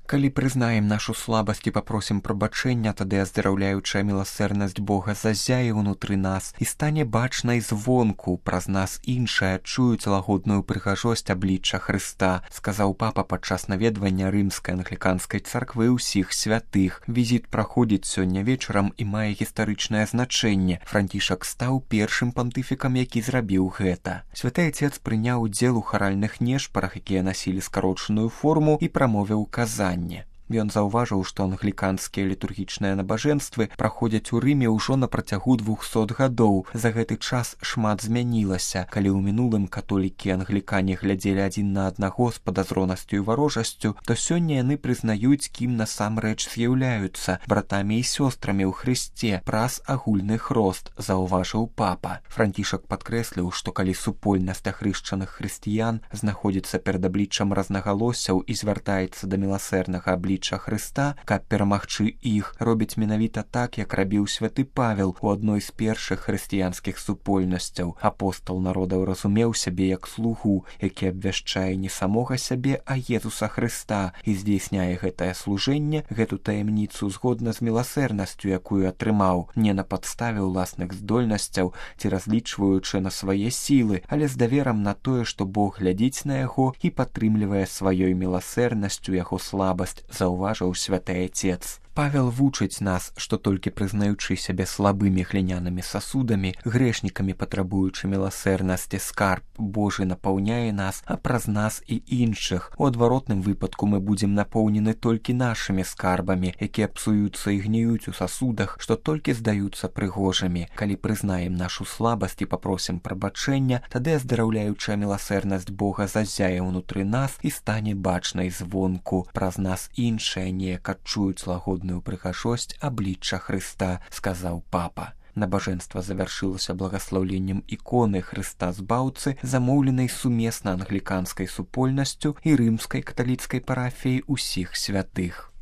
Калі прызнаем нашу слабасць і папросім прабачэння, тады аздараўляючая міласэрнасць Бога зазяе ўнутры нас і стане бачнай звонку, праз нас іншыя адчуюць лагодную прыгажосць аблічча Хрыста, сказаў папа падчас наведвання рымскай англіканскай царквы ўсіх святых. Візіт праходзіць сёння вечарам і мае гістарычнае значэнне. Францішак стаў першым пантыфікам, які зрабіў гэта. Святы Отец прыняў удзел у харальных нешпарах, якія насілі скарочаную форму, і прамовіў казанне. Ён заўважыў, што англіканскія літургічныя набажэнствы праходзяць у Рыме ўжо на працягу 200 гадоў. За гэты час шмат змянілася. Калі ў мінулым католікі і англікане глядзелі адзін на аднаго з падазронасцю і варожасцю, то сёння яны прызнаюць, кім насамрэч з'яўляюцца братамі і сёстрамі ў Хрысце праз агульны хрост, заўважыў папа. Францішак падкрэсліў, што калі супольнасць ахрышчаных хрысціян знаходзіцца перад абліччам рознагалоссяў і звяртаецца да міласэрнага аблічча Хрыста, каб перамагчы іх, робіць менавіта так, як рабіў святы Павел у адной з першых хрысціянскіх супольнасцяў. Апостал народаў разумеў сябе як слугу, які абвяшчае не самога сябе, а Езуса Хрыста, і здзейсняе гэтае служэнне, гэту таямніцу згодна з міласэрнасцю, якую атрымаў, не на падставе ўласных здольнасцяў ці разлічваючы на свае сілы, але з даверам на тое, што Бог глядзіць на яго і падтрымлівае сваёй міласэрнасцю яго слабасць, заўважыў святы Отец. Павел вучыць нас, што толькі прызнаючы сябе слабымі глінянымі сасудамі, грэшнікамі патрабуючы міласэрнасці, скарб Божы напаўняе нас, а праз нас і іншых. У адваротным выпадку мы будзем напоўнены толькі нашымі скарбамі, якія псуюцца і гніюць у сасудах, што толькі здаюцца прыгожымі. Калі прызнаем нашу слабасць і папросім прабачэння, тады аздараўляючая міласэрнасць Бога зазяе ўнутры нас і стане бачнай звонку. Праз нас іншыя неяк адчуюць лагодную прыгажосць аблічча Хрыста, сказаў папа. Набажэнства завяршылася благаслаўленнем іконы Хрыста Збаўцы, замоўленай сумесна англіканскай супольнасцю і рымскай каталіцкай парафіяй усіх святых.